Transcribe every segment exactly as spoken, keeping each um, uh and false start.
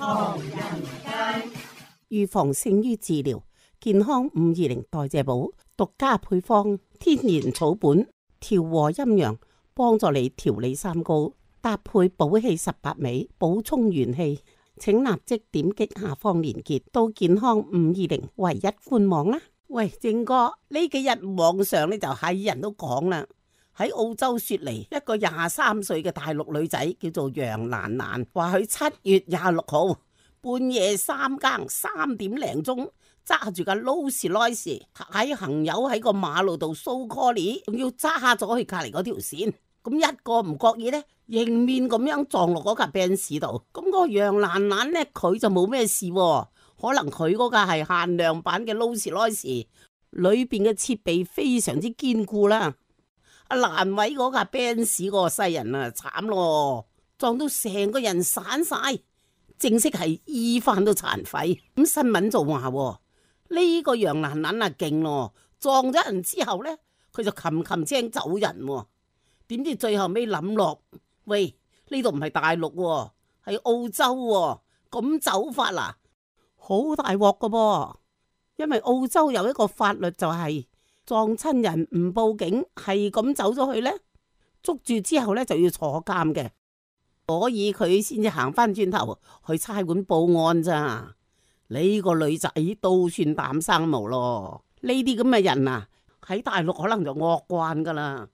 唐人街。預防勝於治療，健康五二零代謝寶獨家配方，天然草本，調和陰陽，幫助你調理三高，搭配補氣十八味，補充元氣。請立即點擊下方連結到健康五二零唯一官網啦。喂，正哥，呢幾日網上呢就係人都講啦，喺澳洲雪梨一個廿三歲嘅大陸女仔叫做楊蘭蘭，話佢七月廿六號半夜三更三點零鐘揸住架勞斯萊斯喺行友喺個馬路度掃 call， 仲要揸咗去隔籬嗰條線，咁一個唔覺意呢，迎面咁樣撞落嗰架 Benz 度，咁個楊蘭蘭呢，佢就冇咩事，可能佢嗰架係限量版嘅勞斯萊斯，裏邊嘅設備非常之堅固啦。阿蘭偉嗰架 Benz 個西人啊，慘咯，撞到成個人散晒，正式係醫翻到殘廢。咁新聞就話呢個楊蘭蘭啊勁咯，撞咗人之後呢，佢就擒擒青走人，點知最後尾諗落，喂，呢度唔係大陸，係澳洲，咁走法啦，好大鑊噶噃。因為澳洲有一個法律就係撞親人唔報警，係咁走咗去呢，捉住之後呢就要坐監嘅，所以佢先至行翻轉頭去差館報案咋。呢個女仔都算膽生毛咯。呢啲咁嘅人啊，喺大陸可能就惡慣噶啦。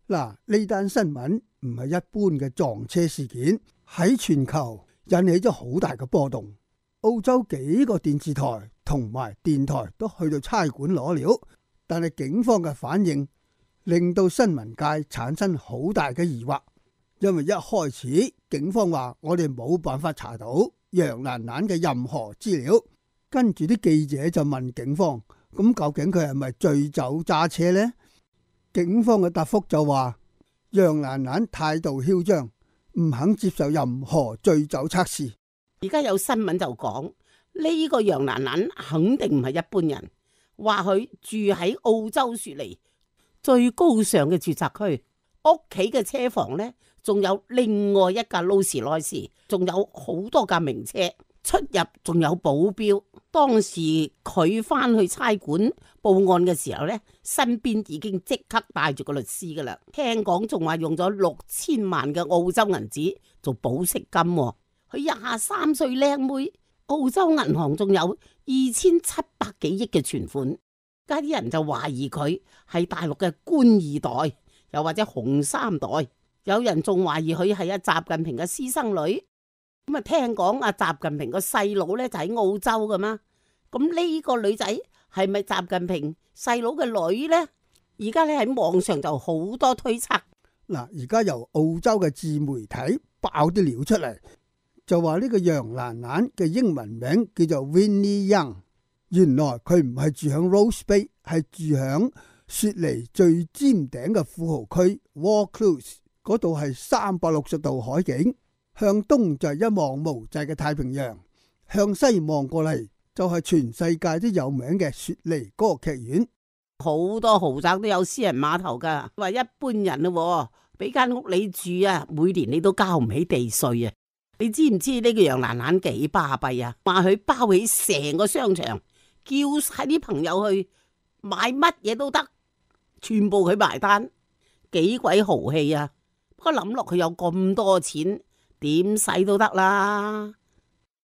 嗱，呢單新聞唔係一般嘅撞車事件，喺全球引起咗好大嘅波動。澳洲幾個電視台同埋電台都去到差館攞料，但係警方嘅反應令到新聞界產生好大嘅疑惑，因為一開始警方話我哋冇辦法查到楊蘭蘭嘅任何資料，跟住啲記者就問警方，咁究竟佢係咪醉酒揸車呢？警方嘅答覆就話楊蘭蘭態度囂張，唔肯接受任何醉酒測試。而家有新聞就講呢個楊蘭蘭肯定唔係一般人，話佢住喺澳洲雪梨最高尚嘅住宅區，屋企嘅車房呢，仲有另外一架勞斯萊斯，仲有好多架名車，出入仲有保鏢。當時佢翻去差館報案嘅時候呢，身邊已經即刻帶住個律師噶啦，聽講仲話用咗六千萬嘅澳洲銀紙做保釋金。佢廿三歲靚妹，澳洲銀行仲有二千七百幾億嘅存款，家啲人就懷疑佢係大陸嘅官二代，又或者紅三代，有人仲懷疑佢係阿習近平嘅私生女。咁啊，聽講阿習近平個細佬咧就喺澳洲噶嘛，咁呢個女仔係咪習近平細佬嘅女呢？而家咧喺網上就好多推測。嗱，而家由澳洲嘅自媒體爆啲料出嚟。就話呢個楊蘭蘭嘅英文名叫做 Winnie Young， 原來佢唔係住響 Rose Bay， 係住響雪梨最尖頂嘅富豪區 Vaucluse， 嗰度係三百六十度海景，向東就係一望無際嘅太平洋，向西望過嚟就係全世界都有名嘅雪梨歌劇院，好多豪宅都有私人碼頭噶。話一般人咯，俾間屋你住啊，每年你都交唔起地稅啊。你知唔知呢個楊蘭蘭幾巴閉啊？話佢包起成個商場，叫晒啲朋友去買乜嘢都得，全部佢埋單，幾鬼豪氣啊！不過諗落佢有咁多錢，點使都得啦。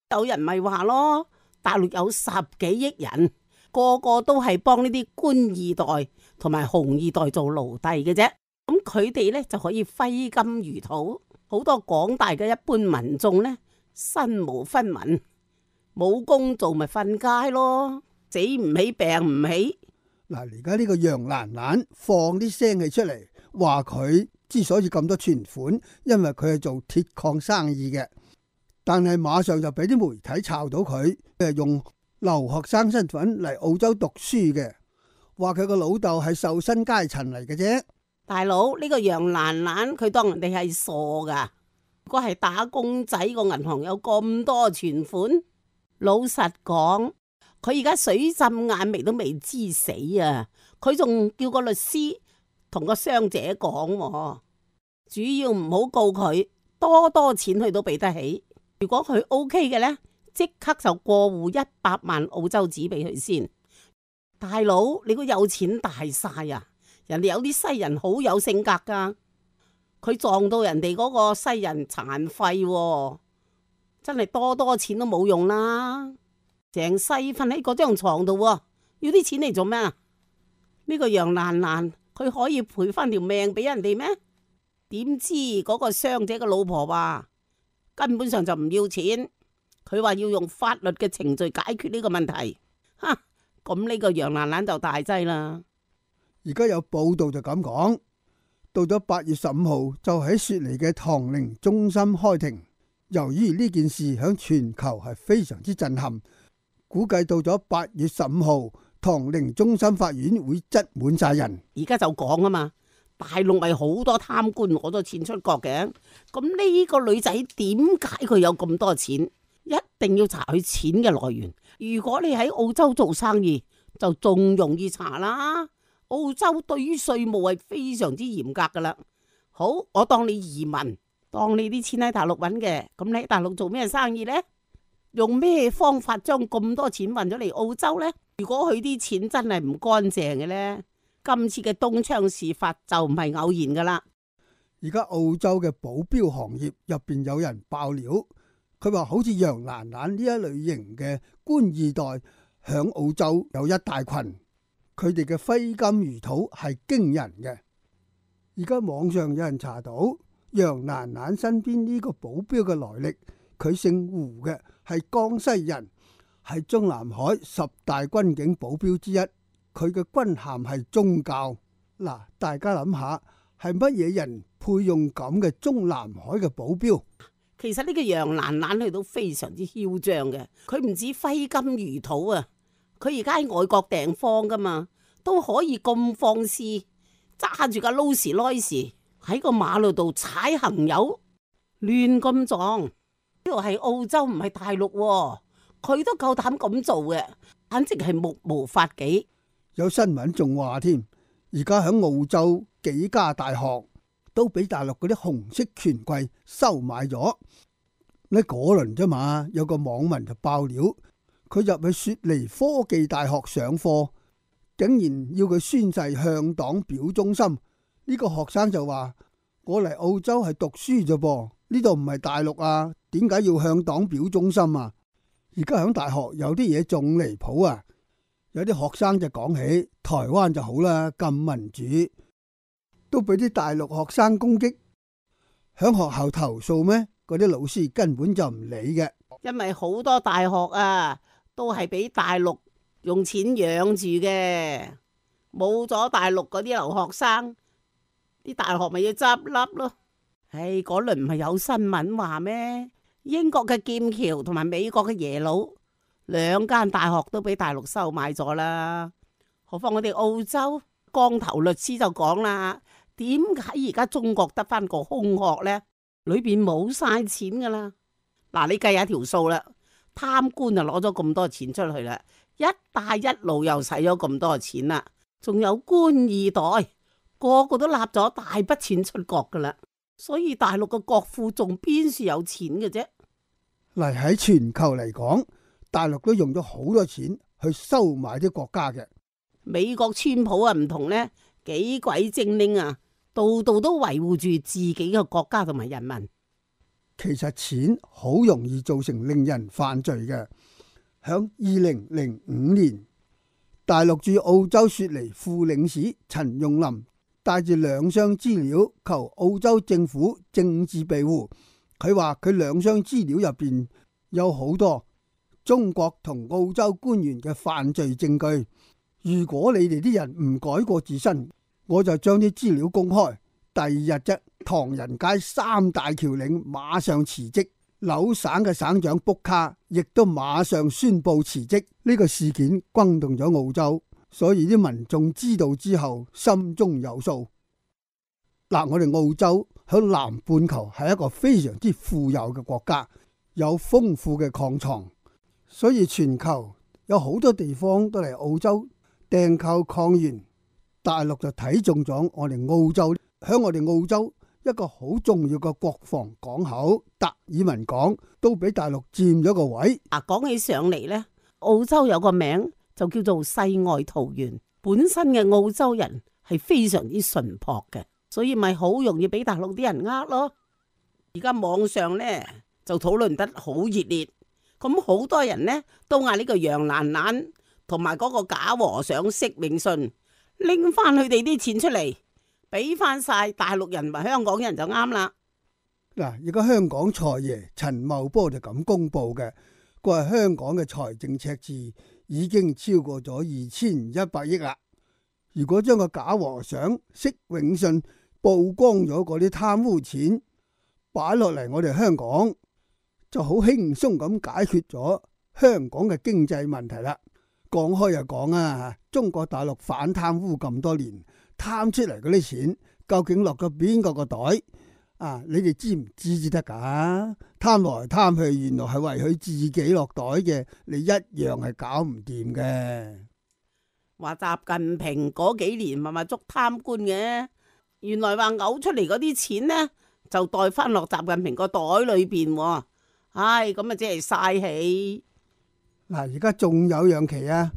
有人咪話咯，大陸有十幾億人，個個都係幫呢啲官二代同埋紅二代做奴隸嘅啫，咁佢哋呢就可以揮金如土。好多廣大嘅一般民眾呢，身無分文，冇工做咪瞓街咯，死唔起病唔起。嗱，而家呢個楊蘭蘭放啲聲氣出嚟，話佢之所以咁多存款，因為佢係做鐵礦生意嘅，但係馬上就俾啲媒體炒到佢係用留學生身份嚟澳洲讀書嘅，話佢個老豆係受薪階層嚟嘅啫。大佬，呢個楊蘭蘭佢當人哋係傻噶？如果係打工仔，個銀行有咁多存款，老實講，佢而家水浸眼眉都未知死啊！佢仲叫個律師同個傷者講，主要唔好告佢，多多錢佢都俾得起。如果佢 OK 嘅呢，即刻就過戶一百萬澳洲紙俾佢先。大佬，你個有錢大晒啊！人哋有啲西人好有性格噶，佢撞到人哋嗰個西人殘廢喎，真係多多錢都冇用啦，成世瞓喺嗰張床度喎，要啲錢嚟做咩啊？呢個楊蘭蘭佢可以賠翻條命俾人哋咩？點知嗰個傷者嘅老婆話根本上就唔要錢，佢話要用法律嘅程序解決呢個問題。哈，咁呢個楊蘭蘭就大劑啦。而家有報道就咁講，到咗八月十五號就喺雪梨嘅唐寧中心開庭。由於呢件事響全球係非常之震撼，估計到咗八月十五號，唐寧中心法院會擠滿晒人。而家就講啊嘛，大陸咪好多貪官攞咗錢出國嘅，咁呢個女仔點解佢有咁多錢？一定要查佢錢嘅來源。如果你喺澳洲做生意，就仲容易查啦。澳洲對於稅務係非常之嚴格噶啦。好，我當你移民，當你啲錢喺大陸揾嘅，咁你喺大陸做咩生意呢？用咩方法將咁多錢運咗嚟澳洲呢？如果佢啲錢真係唔乾淨嘅呢，今次嘅東窗事發就唔係偶然噶啦。而家澳洲嘅保鏢行業入邊有人爆料，佢話好似楊蘭蘭呢一類型嘅官二代響澳洲有一大群。佢哋嘅揮金如土係驚人嘅。而家網上有人查到楊蘭蘭身邊呢個保鏢嘅來歷，佢姓胡嘅，係江西人，係中南海十大軍警保鏢之一。佢嘅軍銜係中校。嗱，大家諗下，係乜嘢人配用咁嘅中南海嘅保鏢？其實呢個楊蘭蘭佢都非常之囂張嘅，佢唔止揮金如土啊！佢而家喺外國訂貨噶嘛，都可以咁放肆，揸住架勞斯萊斯喺個馬路度踩行油，亂咁撞。呢度係澳洲唔係大陸喎，佢都夠膽咁做嘅，簡直係目無法紀。有新聞仲話添，而家喺澳洲幾家大學都俾大陸嗰啲紅色權貴收買咗。呢嗰輪啫嘛，有個網民就爆料。佢入去雪梨科技大學上課，竟然要佢宣誓向黨表忠心。呢個學生就話：我嚟澳洲係讀書啫噃，呢度唔係大陸啊，點解要向黨表忠心啊？而家響大學有啲嘢仲離譜啊！有啲學生就講起台灣就好啦，咁民主，都俾啲大陸學生攻擊，響學校投訴咩？嗰啲老師根本就唔理嘅，因為好多大學啊，都係俾大陸用錢養住嘅，冇咗大陸嗰啲留學生，啲大學咪要執笠咯。唉，嗰輪唔係有新聞話咩？英國嘅劍橋同埋美國嘅耶魯兩間大學都俾大陸收買咗啦。何況我哋澳洲光頭律師就講啦，點解而家中國得翻個空殼呢？裏邊冇晒錢噶啦。嗱，你計下條數啦。貪官就攞咗咁多錢出去啦，一帶一路又使咗咁多錢啦，仲有官二代個個都立咗大筆錢出國噶啦，所以大陸嘅國庫仲邊處有錢嘅啫？嚟喺全球嚟講，大陸都用咗好多錢去收買啲國家嘅。美國川普啊唔同呢，幾鬼精靈啊，度度都維護住自己嘅國家同埋人民。其實錢好容易造成令人犯罪嘅。響二零零五年，大陸駐澳洲雪梨副領事陳用林帶住兩箱資料求澳洲政府政治庇護。佢話佢兩箱資料入邊有好多中國同澳洲官員嘅犯罪證據。如果你哋啲人唔改過自身，我就將啲資料公開。第二日啫，唐人街三大僑領馬上辭職，紐省嘅省長卜卡亦都馬上宣布辭職。呢個事件轟動咗澳洲，所以啲民眾知道之後心中有數。嗱，我哋澳洲響南半球係一個非常之富有嘅國家，有豐富嘅礦藏，所以全球有好多地方都嚟澳洲訂購礦源。大陸就睇中咗我哋澳洲。喺我哋澳洲一個好重要嘅國防港口達爾文港都俾大陸佔咗個位。啊，講起上嚟呢，澳洲有個名就叫做世外桃源。本身嘅澳洲人係非常之淳樸嘅，所以咪好容易俾大陸啲人呃咯。而家網上呢就討論得好熱烈，咁好多人呢都嗌呢個楊蘭蘭同埋嗰個假和尚釋永信拎翻佢哋啲錢出嚟，俾翻晒大陸人同香港人就啱啦。嗱，而家香港財爺陳茂波就咁公布嘅，佢話香港嘅財政赤字已經超過咗二千一百億啦。如果將個假和尚釋永信曝光咗嗰啲貪污錢擺落嚟我哋香港，就好輕鬆咁解決咗香港嘅經濟問題啦。講開又講啊，中國大陸反貪污咁多年，貪出嚟嗰啲錢究竟落咗邊個個袋啊？你哋知唔知至得噶？貪來貪去，原來係為佢自己落袋嘅，你一樣係搞唔掂嘅。話習近平嗰幾年咪咪捉貪官嘅，原來話嘔出嚟嗰啲錢呢，就袋翻落習近平個袋裏邊。唉，咁啊，即係嘥氣。嗱，而家仲有樣奇啊！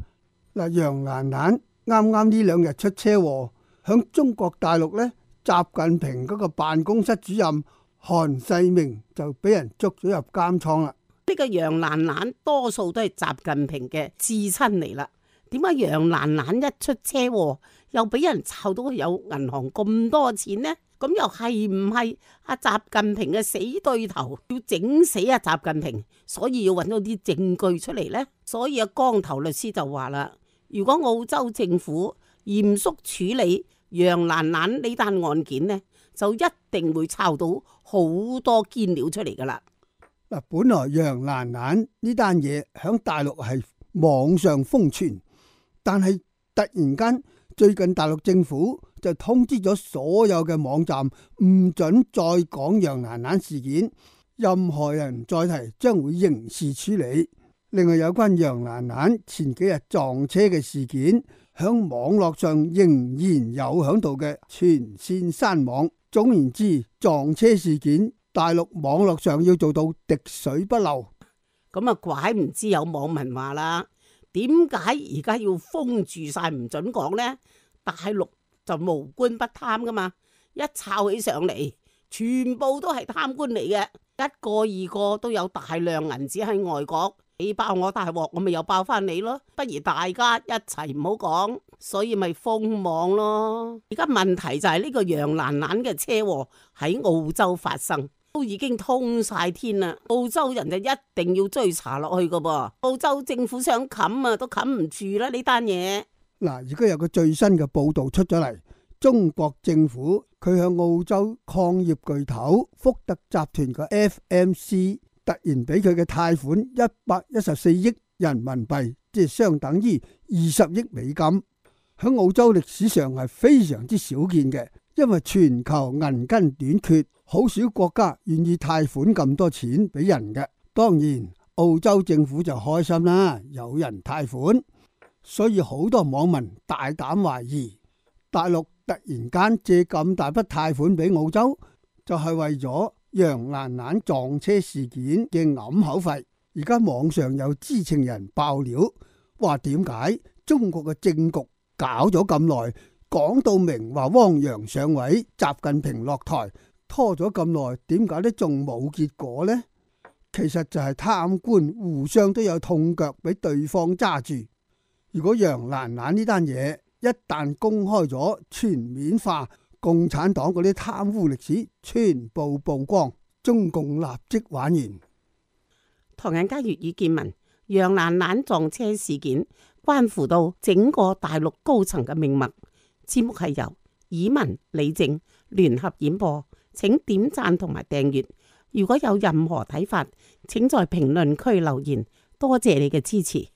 嗱，楊蘭蘭啱啱呢兩日出車禍，響中國大陸呢，習近平嗰個辦公室主任韓世明就俾人捉咗入監倉啦。呢個楊蘭蘭多數都係習近平嘅至親嚟啦。點解楊蘭蘭一出車禍又俾人抄到有銀行咁多錢呢？咁又係唔係阿習近平嘅死對頭要整死阿習近平，所以要揾到啲證據出嚟呢？所以阿光頭律師就話啦，如果澳洲政府嚴肅處理楊蘭蘭呢單案件呢，就一定會抄到好多堅料出嚟噶啦。嗱，本來楊蘭蘭呢單嘢響大陸係網上瘋傳，但係突然間最近大陸政府就通知咗所有嘅網站唔准再講楊蘭蘭事件，任何人再提將會刑事處理。另外有關楊蘭蘭前幾日撞車嘅事件，響網絡上仍然有響度嘅全線刪網。總言之，撞車事件大陸網絡上要做到滴水不漏。咁啊，怪唔知有網民話啦，點解而家要封住晒唔准講呢？大陸就無官不貪噶嘛，一抄起上嚟，全部都係貪官嚟嘅，一個二個都有大量銀紙喺外國，你爆我大鑊，我咪又爆翻你咯，不如大家一齊唔好講，所以咪封網咯。而家問題就係呢個楊蘭蘭嘅車禍喺澳洲發生，都已經通晒天啦，澳洲人就一定要追查落去噶噃，澳洲政府想冚啊都冚唔住啦呢單嘢。嗱，而家有個最新嘅報道出咗嚟，中國政府佢向澳洲礦業巨頭福特集團嘅 F M C 突然俾佢嘅貸款一百一十四億人民幣，即係相等於二十億美金，喺澳洲歷史上係非常之少見嘅，因為全球銀根短缺，好少國家願意貸款咁多錢俾人嘅。當然，澳洲政府就開心啦，有人貸款。所以好多網民大膽懷疑，大陸突然間借咁大筆貸款俾澳洲，就係為咗楊蘭蘭撞車事件嘅揞口費。而家網上有知情人爆料，話點解中國嘅政局搞咗咁耐，講到明話汪洋上位，習近平落台，拖咗咁耐，點解都仲冇結果呢？其實就係貪官互相都有痛腳俾對方揸住。如果楊蘭蘭呢單嘢一旦公開咗，全面化，共產黨嗰啲貪污歷史全部曝光，中共立即玩完。唐人街粵語見聞，楊蘭蘭撞車事件關乎到整個大陸高層嘅命脈。節目係由以文、李靜聯合演播，請點讚同埋訂閱。如果有任何睇法，請在評論區留言。多謝你嘅支持。